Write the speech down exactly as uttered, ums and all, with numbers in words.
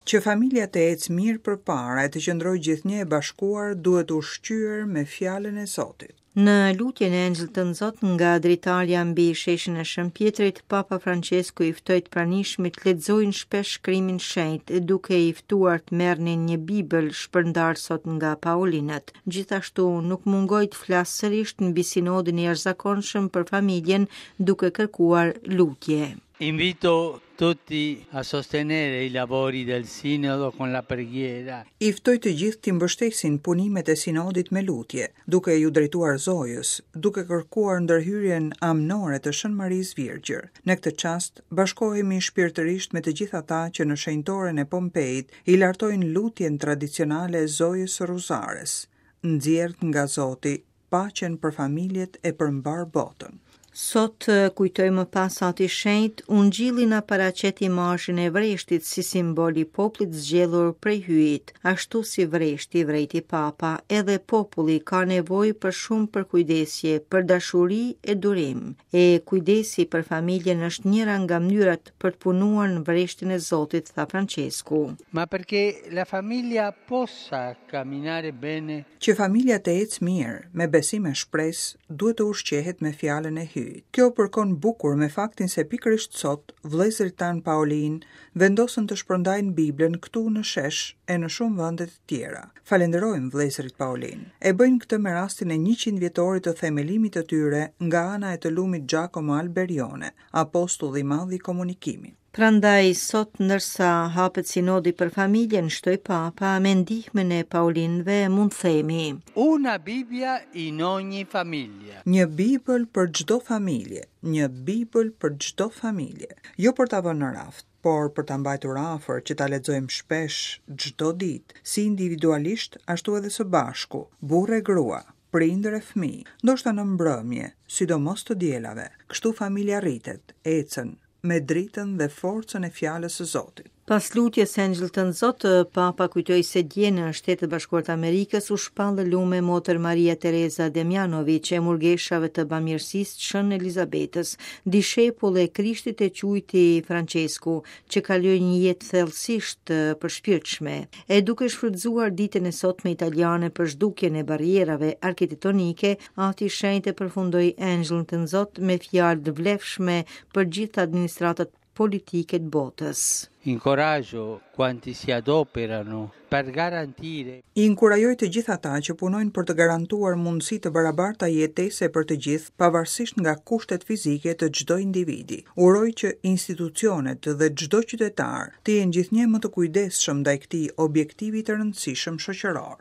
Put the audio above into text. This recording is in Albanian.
Që familja të ecë mirë përpara e të qëndrojë gjithnjë e bashkuar, duhet ushqyer me fjalën e Zotit. Në lutjen e Engjëllit të Zot nga dritarja mbi sheshin e Shën Pjetrit, Papa Francesku i ftoi të pranishmit të lexojnë shpesh shkrimin shenjt, duke i ftuar të merrnin një Bibël shpërndar sot nga Paulinët. Gjithashtu nuk mungoi të flasë sërish mbi sinodin e jashtëzakonshëm për familjen, duke kërkuar lutje. Invito tutti a sostenere i lavori del Sinodo con la preghiera. I ftoj të gjithë të mbështesin punimet e sinodit me lutje, duke ju drejtuar Zojës, duke kërkuar ndërhyrjen amnore të Shën Marisë Virgjër. Në këtë çast bashkohemi shpirtërisht me të gjithë ata që në shenjtoren e Pompeit i lartojnë lutjen tradicionale Zojës së Ruzares. Nxjerr nga Zoti paqen për familjet e për mbar botën. Sot kujtoi më pas Ati Shenjt, Ungjilli na paraqet imazhin e vreshtit si simbol i popullit zgjedhur prej Hyjit, ashtu si vreshti vrejti Papa, edhe populli ka nevojë për shumë përkujdesje, për dashuri e durim. E kujdesi për familjen është njëra nga mënyrat për të punuar në vreshtin e Zotit, tha Francesku. Ma perché la famiglia possa camminare bene Që familja të ecë mirë, me besim e shpresë, duhet të ushqehet me fjalën e Hyjit. Kjo përkon bukur me faktin se pikërisht sot vëllezërit tan Paulin vendosën të shpërndajnë Biblën këtu në shesh e në shumë vende të tjera. Falenderojmë vëllezërit Paulin. E bëjnë këtë me rastin e njëqind vjetorit të themelimit të tyre nga ana e të lumit Giacomo Alberione, apostulli i madh i komunikimit. Prandaj sot ndërsa hapet sinodi për familjen, shtoi Papa, me ndihmën e Paulinëve mund themi: Una Bibbia in ogni famiglia. Një Bibël për çdo familje, një Bibël për çdo familje. Jo për ta vënë në raft, por për ta mbajtur afër që ta lexojmë shpesh çdo ditë, si individualisht ashtu edhe së bashku, burrë e grua, prindër e fëmijë, ndoshta në mbrëmje, sidomos të dielave. Kështu familja rritet, ecën me dritën dhe forcën e fjalës së Zotit. Pas lutjes së Engjëllit të Zot, Papa kujtoi se dje në Shtetet e Bashkuara të Amerikës u shpall lume Motër Maria Teresa Demjanovic e murgeshave të bamirësisë Shën Elizabetës, dishepull e Krishtit e quajti Francesku, që kaloi një jetë thellësisht të përshpirtshme. E duke shfrytzuar ditën e sotme italiane për zhdukjen e barrierave arkitektonike, Ati Shenjtë e përfundoi Engjëllin të Zot me fjalë të vlefshme për gjithë administratat politike të botës. Incoraggio quanti si adoperano per garantire I inkurajoj të gjithë ata që punojnë për të garantuar mundësi të barabarta jetese për të gjithë, pavarësisht nga kushtet fizike të çdo individi. Uroj që institucionet dhe çdo qytetar të jenë gjithnjë më të kujdesshëm ndaj këtij objektivi të rëndësishëm shoqëror.